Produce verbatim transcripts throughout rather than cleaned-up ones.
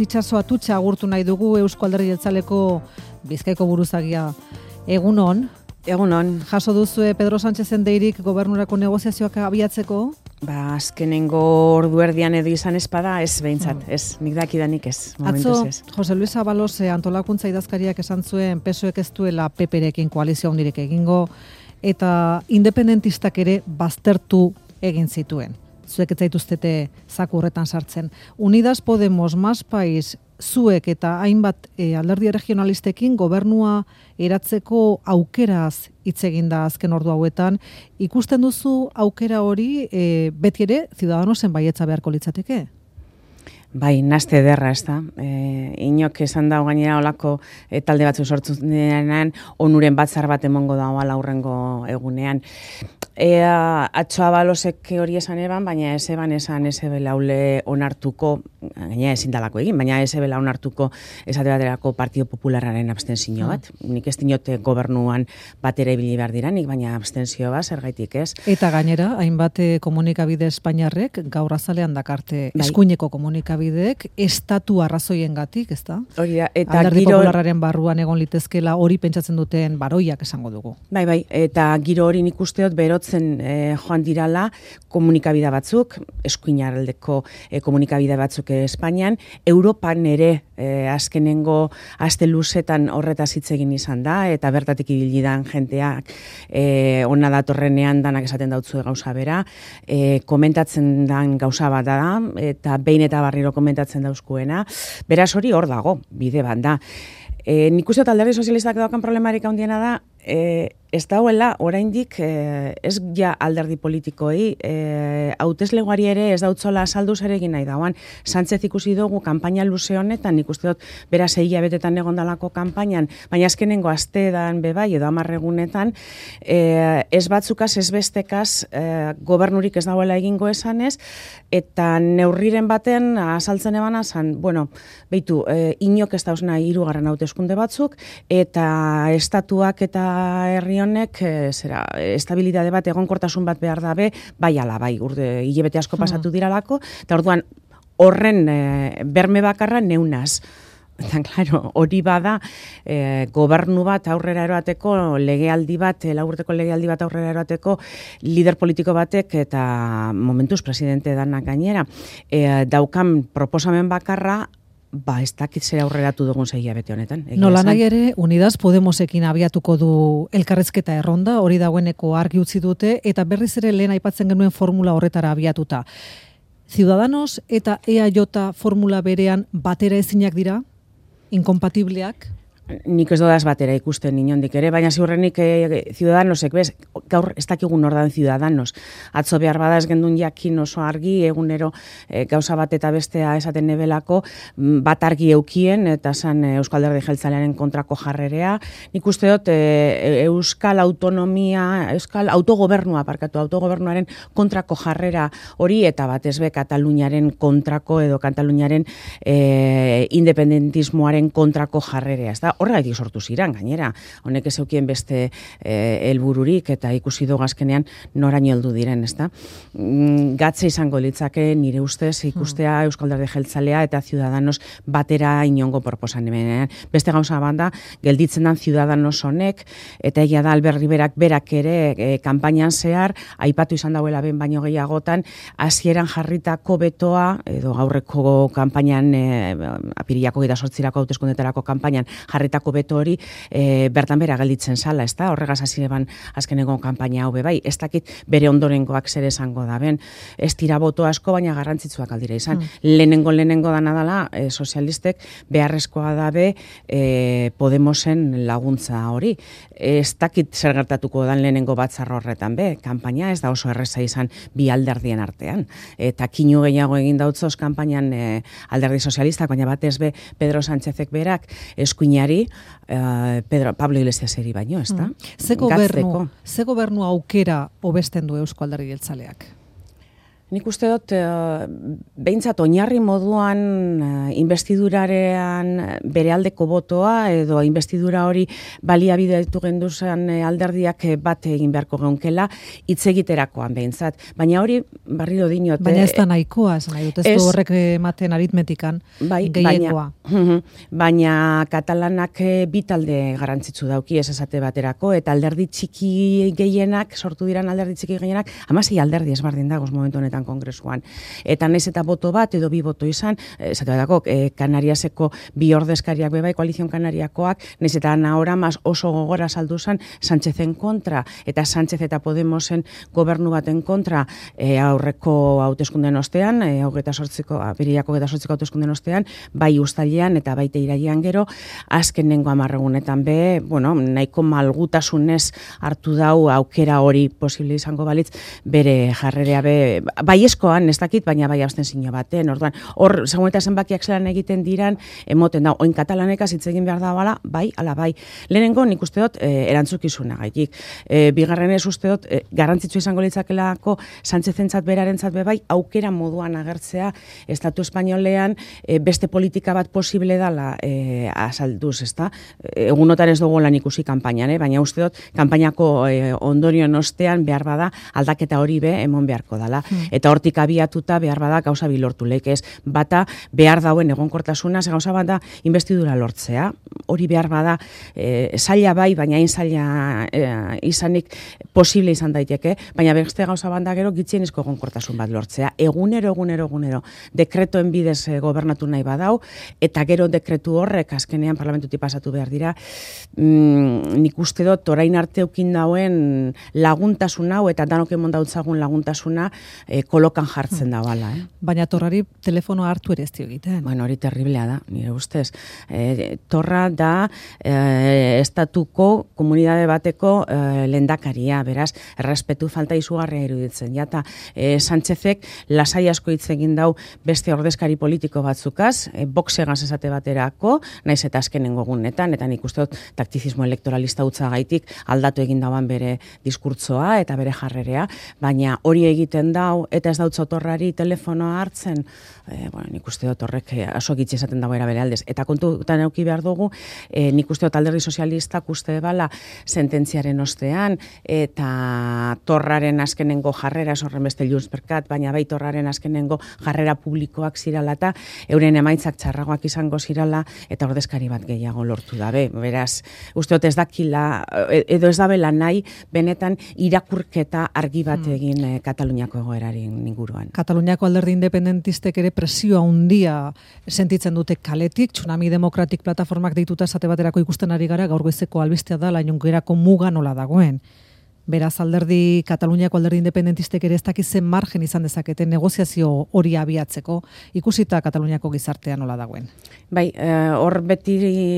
Itxaso Atutxa agurtu nahi dugu Eusko Alderdi Jeltzaleko Bizkaiko buruzagia. Egunon. Egunon. Jaso duzue Pedro Sánchezen deirik gobernurako negoziazioak abiatzeko? Ba, azkenengo ordu erdian edo izan espada, ez behintzat, mm. ez, nik dakidanik ez, momentuz Atzo, ez. Jose Luis Abalose antolakuntza idazkariak esan zuen P S O Ek ez duela P P-rekin koalizio handirik egingo, eta independentistak ere baztertu egin zituen. Zuek ez zaituztete zaku horretan sartzen. Unidas Podemos, Más País, zuek eta hainbat e, alderdi regionalistekin gobernua eratzeko aukeraz hitz egin da azken ordu hauetan. Ikusten duzu aukera hori e, beti ere Ciudadanosen baietza beharko litzateke? Bai, naste ederra, ez da. E, inok esan dago gainera olako e, talde batzu sortu denean, onuren batzar bat emongo dago ala hurrengo egunean. E, atzo Abalosek hori esan eban, baina ez eban esan ez ebela ule onartuko, gaina ezin dalako egin, baina ez ebela onartuko esate baterako Partido Popularraren abstenzio bat. Mm. Nik ez dinote gobernuan batera ibili behar diranik, baina abstenzio bat, zergaitik ez. Eta gainera, hainbat komunikabide Espainiarrek gaur azalean dakarte bai. Eskuineko komunikabideek estatu arrazoiengatik, ez da? Hori da, eta Alderdi giro... Popularraren barruan egon litezkela hori pentsatzen duten baroiak esango dugu. Bai, bai, eta giro hori nik usteot berotzen E, joan dirala komunikabide batzuk, eskuinaldeko e, komunikabide batzuk e, Espainian, Europan ere e, azkenengo aste luzetan horretaz hitz egin izan da, eta bertatik ibili dan jenteak e, ona datorrenean danak esaten dautzue gauza bera, e, komentatzen dan gauza bat da, eta behin eta barriro komentatzen dauzkuena, beraz hori hor dago, bide bat da. E, nik uste alderdi sozialistak daukan problemarik handiena da, e, ez dauela oraindik e, ez ja alderdi politikoei, e, hauteslegoari ere ez dautzola azaldu zer egin nahi dauan. Sánchez ikusi dugu kanpaina luze honetan, nik uste dut bera sei hilabetetan egon dalako kanpainan, baina azkenengo asteetan bebai edo hamar egunetan, e, ez batzukaz, ez bestekaz, e, gobernurik ez dauela egingo esanez, eta neurriren baten azaltzen ebana zan, bueno, beitu, e, inok ez dauzna hirugarren hauteskunde batzuk, eta estatuak eta herri honek e, zera, estabilitate bat, egonkortasun bat behar dabe, bai ala, bai, urde, hilabete asko pasatu diralako, eta orduan horren e, berme bakarra neunaz. Eta, claro, hori bada, e, gobernu bat aurrera eroateko, legealdi bat, laurteko legealdi bat aurrera eroateko, lider politiko batek eta momentuz presidente danak gainera, e, daukan proposamen bakarra, ba, ez dakit zera aurreratu dugun zeia bete honetan. Nola nahi ere, Unidas Podemosekin abiatuko du elkarrezketa erronda, hori dagoeneko argi utzi dute, eta berriz ere lehen aipatzen genuen formula horretara abiatuta. Ciudadanos eta E A J formula berean batera ezinak dira? Inkompatibleak? Nik ez dodaz batera ikusten inondik ere, baina ziurrenik e, Ciudadanosek, bez, gaur ez dakigun ordan Ciudadanos. Atzo behar badaz gendun jakin oso argi, egunero e, gauza bat eta bestea esaten nebelako, bat argi eukien, eta zan e, Euskal Alderdi Jeltzalearen kontrako jarrerea. Nik uste dut e, Euskal Autonomia, Euskal Autogobernua, parkatu, autogobernuaren kontrako jarrera hori, eta batez be Kataluniaren kontrako edo Kataluniaren e, independentismoaren kontrako jarrerea, ez da? Horregatik sortu ziren, gainera, honek ez eukien beste helbururik e, eta ikusi dugu azkenean noraino heldu diren, ezta? Mm, gatze izango litzake nire ustez ikustea hmm. Euskal Alderdi Jeltzalea eta Ciudadanos batera inongo proposamenean. Beste gauza banda, gelditzen dan Ciudadanos honek, eta egia da Albert Riberak berak ere e, kanpainan zehar, aipatu izan dauela ben baino gehiagotan, hasieran jarritako betoa, edo gaurreko kanpainan, e, apirilako gita sortzirako hauteskundetarako kanpainan, jarri tako beto hori e, bertan bera gelditzen zala, ez da? Horregaz hasi eban azkeneko kanpaina hau bai, ez dakit bere ondorengoak zer esango da ben, ez tira boto asko, baina garrantzitsuak aldira izan. Mm. Lehenengo lehenengo dana dala, e, sozialistek beharrezkoa dabe e, Podemosen laguntza hori. Ez dakit zer gertatuko dan lehenengo batzar horretan be, kanpaina ez da oso erreza izan bi alderdien artean. Eta kinu gehiago egin dautzoz kanpainan e, alderdi sozialistak, baina batez be Pedro Sánchezek berak eskuinari Uh, Pedro, Pablo Iglesiaseri baino, ez da? Mm. Ze gobernu, ze gobernu aukera hobesten du Eusko Alderdi Jeltzaleak? Nik uste dut, uh, behintzat oinarri moduan uh, investidurarean bere aldeko botoa edo investidura hori baliabide ditu genduzan alderdiak bat egin beharko geunkela hitz egiterakoan behintzat. Baina hori, barriro dinot. Baina ez da nahikoa, ez nahi dut, ez du horrek ematen aritmetikan bai, gehiengoa. Baina, baina katalanak bitalde garrantzitsu dauki ez esate baterako, eta alderdi txiki gehienak, sortu diran alderdi txiki gehienak, hamasei alderdi ezberdin dagoz momentu honetan kongresuan. Eta naiz eta boto bat edo bi boto izan, esate batako, eh, Kanariaseko bi ordezkariak bebai, koalizion kanariakoak, naiz eta nahora mas oso gogora saldu zen Sánchezen kontra, eta Sánchez eta Podemosen gobernu baten kontra eh, aurreko hauteskunden ostean, eh, hogeita sortziko, apiriako hogeita sortziko hauteskunden ostean, bai uztailean eta baita irailean gero, azkenengo hamarregunetan be, bueno, nahiko malgutasunez hartu dau aukera hori posible izango balitz, bere jarrerea be, baiezkoan, ez dakit, baina bai abstentzio baten, orduan, hor, segun eta zenbakiak zelan egiten diran, emoten da, oin katalanekaz hitz egin behar da bala, bai, ala bai. Lehenengo, nik uste dut, e, erantzukizuna gaitik. E, bigarren ez uste dut, e, garrantzitsu izango litzakelako, Sánchezentzat berarentzat be bai, aukera moduan agertzea, Estatu Espainolean, e, beste politika bat posible dala e, azalduz, ezta? Egunotan ez dugu lan ikusi kanpainan, eh? Baina uste dut, kanpainako e, ondorioen ostean behar bada, aldaketa hori be, emon beharko dala. Eta hortik abiatuta behar bada gauza bilortu lekez. Bata behar dauen egonkortasuna, ze gauza bada investidura lortzea. Hori behar bada e, zaila bai, baina hain zaila e, izanik posible izan daiteke, baina beste gauza bada gero gitzienezko egonkortasun bat lortzea. Egunero, egunero, egunero, dekretoen bidez e, gobernatu nahi badau, eta gero dekretu horrek azkenean parlamentutik pasatu behar dira, mm, nik uste dut orain arte eukin dauen laguntasun hau, eta danok emon dautzagun laguntasuna, E, kolokan jartzen da bala. Eh? Baina torrari telefonoa hartu ere ez dio egiten. Bueno, hori terriblea da, nire ustez. E, torra da e, estatuko komunidade bateko e, lendakaria, beraz, errespetu falta izugarria iruditzen. Jata, e, Sánchezek lasai asko hitz egin dau beste ordezkari politiko batzukaz, e, boxegaz esate baterako, naiz eta azkenengo gunetan, eta nik uste dut taktizismo elektoralista utza gaitik aldatu egin dauan bere diskurtsoa eta bere jarrerea, baina hori egiten dau, eta ez dautza torrari telefonoa hartzen, e, bueno, nik uste dut horrek aso gitzi esaten dago era bere aldez. Eta kontutan eduki behar dugu, e, nik uste dut alderdi sozialistak uste bala sententziaren ostean, eta torraren azkenengo jarrera, sorren beste Juntsperkat, baina bai torraren azkenengo jarrera publikoak zirala eta euren emaitzak txarragoak izango zirala, eta ordezkari bat gehiago lortu dabe. Beraz, uste dut ez dakila, edo ez dabela nahi, benetan irakurketa argi bat egin e, Kataluniako egoeraren inguruan. Kataluniako alderdi independentistek ere presioa handia sentitzen dute kaletik, Tsunami Demokratik plataformak deituta esate baterako ikusten ari gara, gaur goizeko albistea da, lainongerako muga nola dagoen. Beraz, alderdi, Kataluniako alderdi independentistek ere ez dakizen margen izan dezakete negoziazio hori abiatzeko, ikusita Kataluniako gizartea nola dagoen. Bai, hor e, beti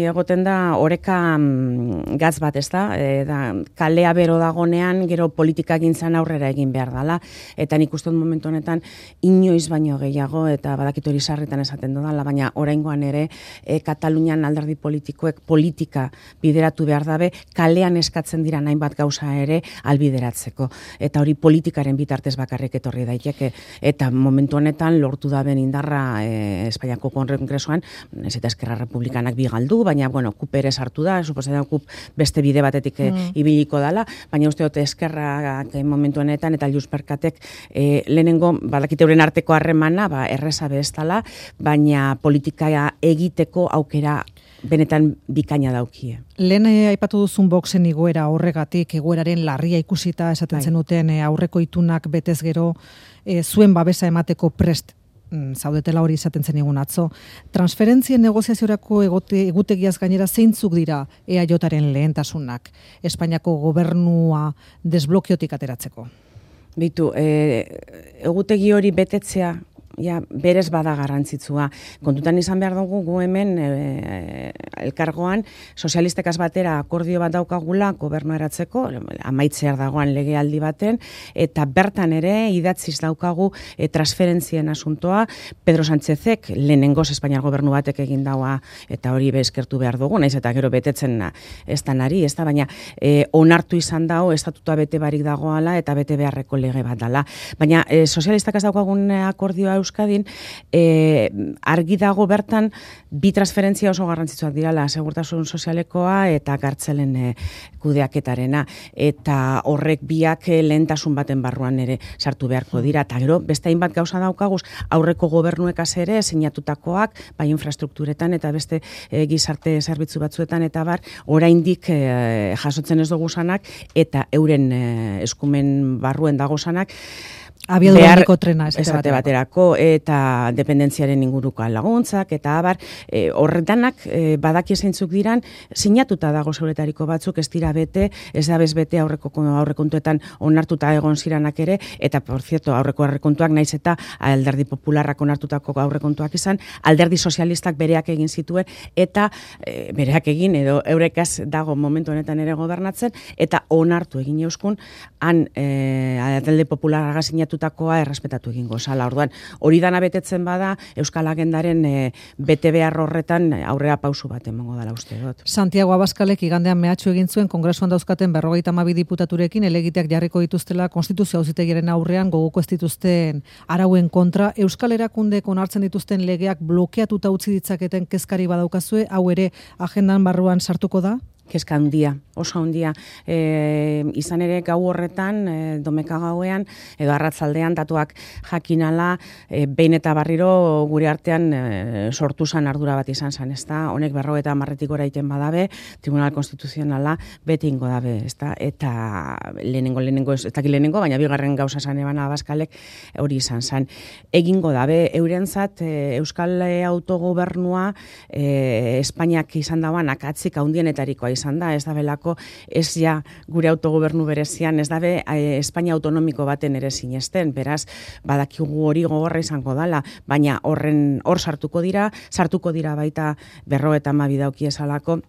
egoten da oreka mm, gatz bat, ez da? E, da, kalea bero dagonean, gero politika gintzan aurrera egin behar dela, eta nik uste dut momentu honetan inoiz baino gehiago, eta badakit hori sarritan esaten dudala, baina oraingoan ere e, Katalunian alderdi politikoek politika bideratu behar dabe, kalean eskatzen dira hainbat gauza ere, albideratzeko. Eta hori politikaren bitartez bakarrik etorri daiteke. Eta momentu honetan lortu da ben indarra e, Espainiako kongresuan, ez eta Eskerra Republikanak bi galdu, baina, bueno, kup ere sartu da, suposatzen kup beste bide batetik e, mm. ibiliko dala, baina uste dute Eskerra momentu honetan eta Juntsperkatek e, lehenengo, badakite euren arteko harremana, ba, erreza bezala, baina politika egiteko aukera benetan bikaina daukie. Lehen aipatu duzun boxen igoera horregatik, egoeraren larria ikusita esaten zenuten e, aurreko itunak betez gero e, zuen babesa emateko prest mm, zaudetela hori izaten zen egun atzo. Transferentzien negoziaziorako egote, egutegiaz gainera zeintzuk dira E A Jaren lehentasunak, Espainiako gobernua desblokiotik ateratzeko? Bitu, e, egutegi hori betetzea ja, berez bada garrantzitsua. Kontutan izan behar dugu gu hemen e, elkargoan sozialistekaz batera akordio bat daukagula gobernu eratzeko, amaitzear dagoan legealdi baten, eta bertan ere idatziz daukagu e, transferentzien asuntoa, Pedro Sánchezek lehenengoz Espainiar gobernu batek egin daua, eta hori bezkertu behar dugu, naiz eta gero betetzen ez da nari, ez da, baina e, onartu izan dago, estatutua bete barik dagoala, eta bete beharreko lege bat dala. Baina e, sozialistak ez daukagun akordioa Euskadin, e, argi dago bertan bi transferentzia oso garrantzitsuak dirala, segurtasun sozialekoa eta kartzelen e, kudeaketarena, eta horrek biak lehentasun baten barruan ere sartu beharko dira, eta gero beste hainbat gauza daukaguz, aurreko gobernuekaz ere sinatutakoak, bai infrastrukturetan eta beste e, gizarte zerbitzu batzuetan eta bar, oraindik e, jasotzen ez dugu sanak, eta euren e, eskumen barruen dago sanak, abiadurandiko trena esate baterako, eta dependentziaren inguruko laguntzak, eta abar, e, horretanak e, badaki zeintzuk diran, sinatuta dago zeuretariko batzuk, ez dira bete, ez da bez bete aurreko aurrekontuetan onartuta egon ziranak ere, eta, por cierto, aurreko aurrekontuak naiz eta alderdi popularrak onartutako aurrekontuak izan, alderdi sozialistak bereak egin zituen, eta e, bereak egin, edo eurekaz dago momentu honetan ere gobernatzen, eta onartu egin euskun, han e, alderdi popularra sinatu tutakoa errespetatu egingo zala. Orduan, hori dana betetzen bada, Euskal Agendaren e, bete behar horretan aurrera pausu bat emango dela uste dut. Santiago Abaskalek igandean mehatxu egin zuen Kongresuan dauzkaten berrogeita hamabi diputaturekin elegiteak jarriko dituztela Konstituzio Auzitegiaren aurrean gogoko ez dituzten arauen kontra. Euskal Erakundek onartzen dituzten legeak blokeatuta utzi ditzaketen kezkari badaukazue, hau ere agendan barruan sartuko da? Kezka handia, oso handia. E, izan ere gau horretan, e, domeka gauean, edo arratzaldean datuak jakinala, e, behin eta barriro gure artean e, sortu zan ardura bat izan zan, ez da? Honek berro eta marretik oraiten badabe, Tribunal Konstituzionala beti ingo dabe, ez da? Eta lehenengo, lehenengo, ez dakit lehenengo, baina bigarren gauza zan eban Abaskalek hori izan zan. Egingo dabe, eurentzat, e, Euskal autogobernua e, Espainiak izan dauan akatzik haundienetarikoa izan da, ez da belako, ez ja gure autogobernu berezian, ez dabe e, Espainia autonomiko baten ere sinesten, beraz, badakigu hori gogorra izango dala, baina horren hor sartuko dira, sartuko dira baita berro eta hamabi dauki esalako,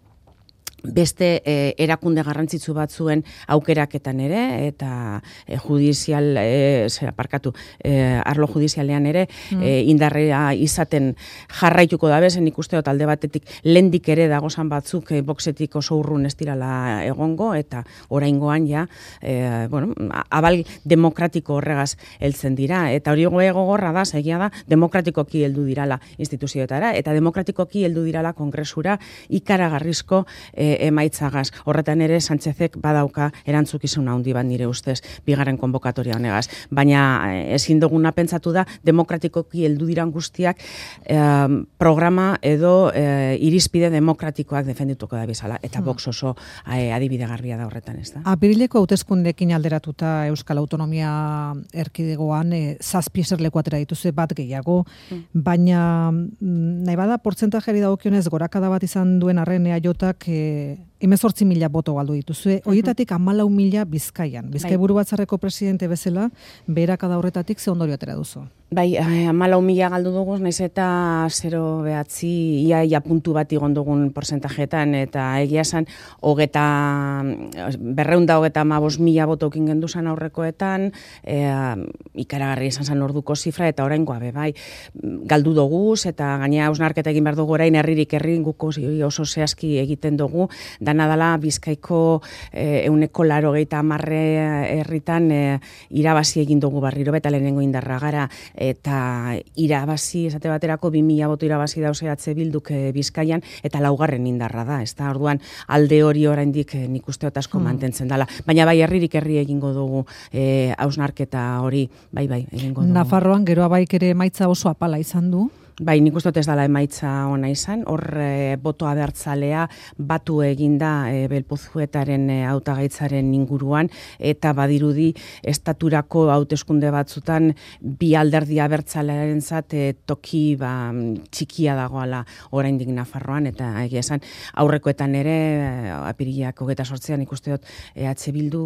beste eh, erakunde garrantzitsu batzuen aukeraketan ere, eta eh, judizial, eh, zera, parkatu, eh, arlo judizialean ere, mm. eh, indarrea izaten jarraituko da bezen ikuste dut alde batetik lendik ere dagozan batzuk eh, boxetik oso urrun ez dirala egongo, eta oraingoan ja, eh, bueno, abal demokratiko horregaz heltzen dira, eta hori gogorra da, segia da, demokratikoki heldu dirala instituzioetara, eta demokratikoki heldu dirala kongresura ikaragarrizko eh, emaitzagaz. Horretan ere Sánchezek badauka erantzukizun handi bat nire ustez bigarren konbokatoria honegaz. Baina ezin duguna pentsatu da demokratikoki heldu diran guztiak eh, programa edo eh, irizpide demokratikoak defendituko da bezala, eta hmm. Vox oso eh, adibide garbia da horretan, ez da? Apirileko hauteskundeekin alderatuta Euskal Autonomia erkidegoan eh, zazpi eserleku atera dituzue bat gehiago, hmm. baina nahi bada portzentajeari dagokionez gorakada bat izan duen arren eaiotak eh, hemezortzi mila boto galdu dituzue, horietatik hamalau mila Bizkaian. Bizkaiburu Batzarreko presidente bezala, beherakada horretatik ze ondorio atera duzu? Bai, hamalau mila galdu dugu, naiz eta zero behatzi, ia, ia puntu bat igon dugun porcentajetan, eta egia esan, hogeta, berreunda hogeta amabos mila botokin gendu zan aurrekoetan, e, ikaragarri esan zan orduko zifra, eta orain goabe, bai, galdu duguz, eta gaina hausnarketa egin behar dugu orain herririk herri guko oso zehazki egiten dugu, dana dala Bizkaiko e, euneko laro gehieta amarre herritan e, irabazi egin dugu barriro, beta lehenengo indarra gara, eta irabazi, esate baterako, bi mila boto irabazi dauze atze bilduk e, Bizkaian, eta laugarren indarra da, ez da, orduan alde hori oraindik e, nik usteot asko hmm. mantentzen dela. Baina bai, herririk herri egingo dugu hausnarketa e, hori, bai, bai, egingo dugu. Nafarroan, geroa baik ere emaitza oso apala izan du, Bai, nik uste dut ez dela emaitza ona izan, hor e, boto abertzalea batu eginda e, Belpozuetaren e, hautagaitzaren inguruan, eta badirudi estaturako hauteskunde batzutan bi alderdi abertzalearen zat e, toki ba, txikia dagoala oraindik Nafarroan, eta egia esan aurrekoetan ere e, apirilak hogeita sortzean ikuste dut E H Bildu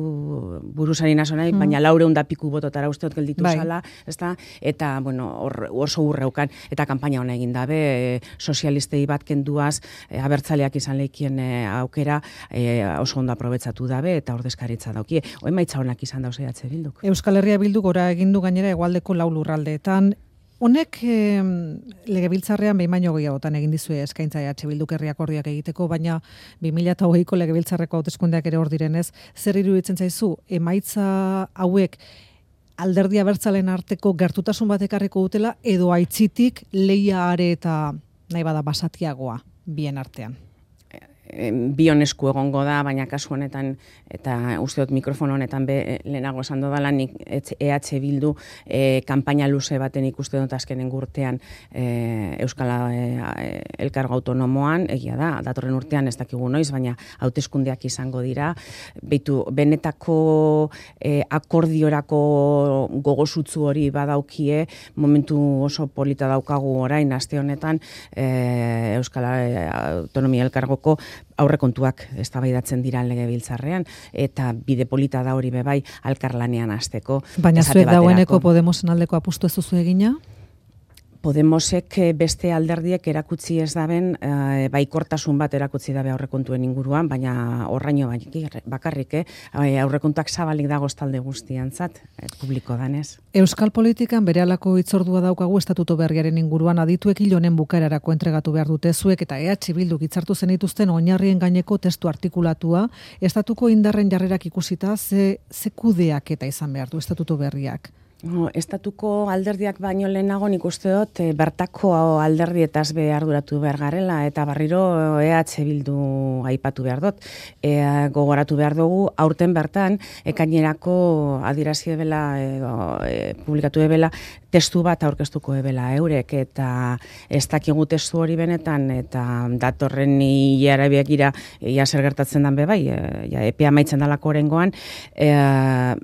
buruzari naso nahi, mm. baina laureun da piku bototara uste dut gelditu bai. Zala, ezta? Eta bueno, hor oso urreukan, eta kanpaina hona egin dabe, e, sozialistei bat kenduaz, e, abertzaleak izan lehikien e, aukera e, oso ondo aprobetsatu dabe, eta ordezkaritza daukie. Oen maitza honak izan dauz E H Bilduk. Euskal Herria Bilduk gora egindu gainera hegoaldeko lau lurraldeetan. Honek e, legebiltzarrean behin baino gehiagotan egin dizue eskaintza E H Bilduk herri akordioak egiteko, baina bi mila hogeiko legebiltzarreko hauteskundeak ere hor direnez, zer iruditzen zaizu, emaitza hauek alderdi abertzalen arteko gertutasun bat ekarriko dutela, edo aitzitik lehia are eta nahi bada basatiagoa bien artean? Bion esku egongo da, baina kasu honetan, eta uste dut mikrofono honetan be, lehenago esan dodala, nik E H Bildu e, kanpaina luze baten ikuste dut azkenen urtean e, Euskal e, Elkargo Autonomoan, egia da, datorren urtean ez dakigu noiz, baina hauteskundeak izango dira, beitu, benetako e, akordiorako gogosutzu hori badaukie, momentu oso polita daukagu orain, aste honetan, e, Euskal Autonomia Elkargoko aurrekontuak eztabaidatzen dira legebiltzarrean, eta bide polita da hori bebai alkarlanean hasteko. Baina zuek dagoeneko Podemosen aldeko apustu ez duzu egina? Podemosek beste alderdiek erakutsi ez daben, e, baikortasun bat erakutsi dabe aurrekontuen inguruan, baina horraino bakarrik, eh? aurrekontuak zabalik dagoz talde guztiantzat, e, publiko danez. Euskal politikan berehalako hitzordua daukagu estatuto berriaren inguruan, adituek hil honen bukaerarako entregatu behar dute zuek, eta E H Bilduk hitzartu zenituzten oinarrien gaineko testu artikulatua, estatuko indarren jarrerak ikusita, ze, ze kudeak eta izan behar du estatuto berriak? No, estatuko alderdiak baino lehenago nik uste dut e, bertako alderdietaz be arduratu behar garela, eta barriro E H Bildu aipatu behar dut. E, gogoratu behar dugu, aurten bertan, ekainerako adierazi ebela, e, publikatu ebela, testu bat aurkeztuko ebela eurek, eta ez dakigu testu hori benetan, eta datorren hilarabiak ira, ia zer gertatzen dan bebai, e, ja, epea maitzen dalako orengoan, e,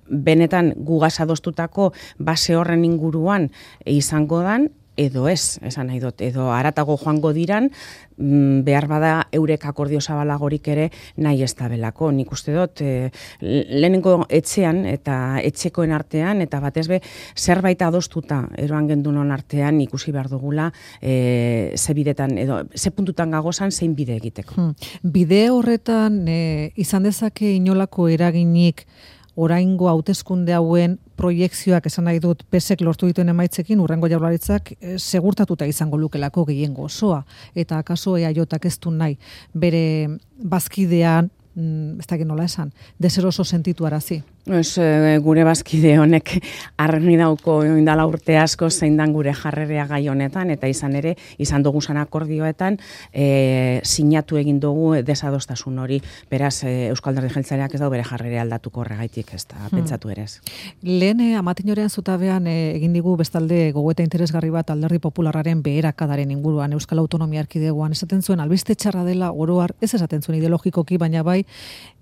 benetan gugaz adostutako base horren inguruan izango dan, edo ez, esan nahi dut, edo haratago joango diran, behar bada eurek akordio zabalagorik ere nahi ez da belako. Nik uste dut, e, lehenengo etxean eta etxekoen artean, eta batez be, zerbait adostuta eroan gendunon artean ikusi behar dugula, e, ze bidetan, edo ze puntutan gagozan zein bide egiteko. Hmm. Bide horretan e, izan dezake inolako eraginik oraingo hauteskunde hauen proiekzioak esan nahi dut P S ek lortu dituen emaitzekin urrengo jaurlaritzak e, segurtatuta izango lukelako gehiengo osoa, eta akaso E A Jak ez du nahi bere bazkidean, mm, ez dakit nola esan, deseroso sentitu arazi. Ez, gure bazkide honek argi dauko indala urte asko zein dan gure jarrerea gai honetan, eta izan ere, izan dugu zan akordioetan, e, sinatu egin dugu desadostasun hori, beraz e, Euskal Alderdi Jeltzaleak ez dau bere jarrerea aldatuko horregaitik, ez da, hmm. pentsatu ere ez. Lehen e, amatinorean zutabean e, egin digu bestalde gogoeta interesgarri bat Alderdi Popularraren beherakadaren inguruan Euskal Autonomia Erkidegoan, esaten zuen albiste txarra dela oroar, ez esaten zuen ideologikoki, baina bai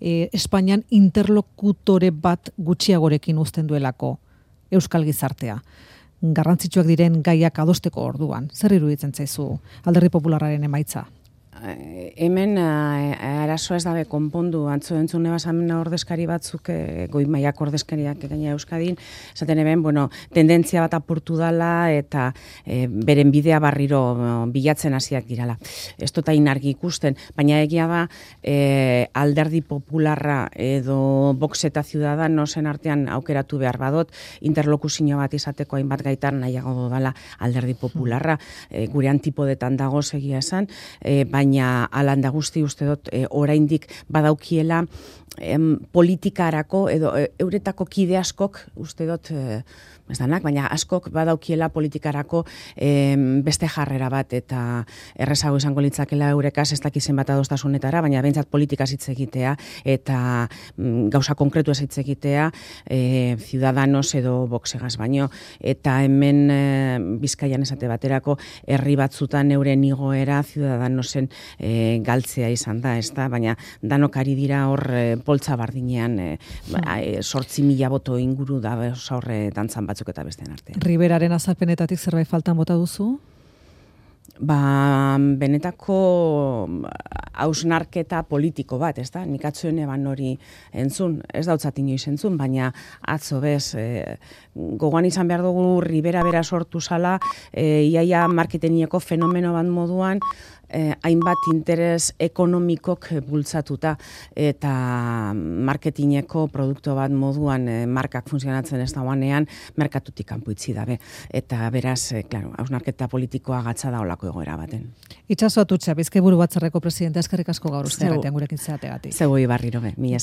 e, Espainian interlokutore bat bat gutxiagorekin uzten duelako euskal gizartea. Garrantzitsuak diren gaiak adosteko orduan. Zer iruditzen zaizu Alderdi Popularraren emaitza? Hemen arazoa ez dabe konpondu, antzo entzune basamen ordezkari batzuk, e, goi mailak ordezkariak gaina Euskadin, esaten eben, bueno, tendentzia bat apurtu dala eta e, beren bidea barriro bilatzen hasiak dirala. Ez dut hain argi ikusten, baina egia da e, Alderdi Popularra edo Vox eta Ciudadanosen artean aukeratu behar badot, interlokuzio bat izateko hainbat gaitan nahiago dala Alderdi Popularra, e, gure antipodetan dago egia esan, e, baina alanda guzti uste dut e, oraindik badaukiela em, politikarako edo e, euretako kide askok uste dut e, ez danak, baina askok badaukiela politikarako em, beste jarrera bat eta errezago izango litzakela eurekaz ez dakizen bat adostasunetara, baina behintzat politikaz hitz egitea eta mm, gauza konkretu ez hitz egitea e, Ciudadanos edo Voxegaz baino eta hemen e, Bizkaian esate baterako herri batzutan euren igoera Ciudadanosen e, galtzea izan da, ez da, baina danok ari dira hor e, poltza bardinean e, sortzi mila boto inguru da horre dantzan batzuk eta bestean artean. Riberaren azalpenetatik zerbait faltan bota duzu? Ba, benetako hausnarketa politiko bat, ez da? Nik atzuen eban hori entzun, ez dautzat inoiz entzun, baina atzo bez, e, gogoan izan behar dugu Ribera bera sortu zala, e, iaia marketingeko fenomeno bat moduan, Eh, hainbat interes ekonomikok bultzatuta eta marketingeko produktu bat moduan eh, markak funtzionatzen ez dagoanean merkatutik kanpo itzi dabe. Eta beraz, eh, claro, hausnarketa politikoa gatza da olako egoera baten. Itxaso Atutxa, Bizkaiburu Batzarreko presidente, eskerrik asko gaur uste batean gurekin zeategatik. Zeu barriro be, mila esker.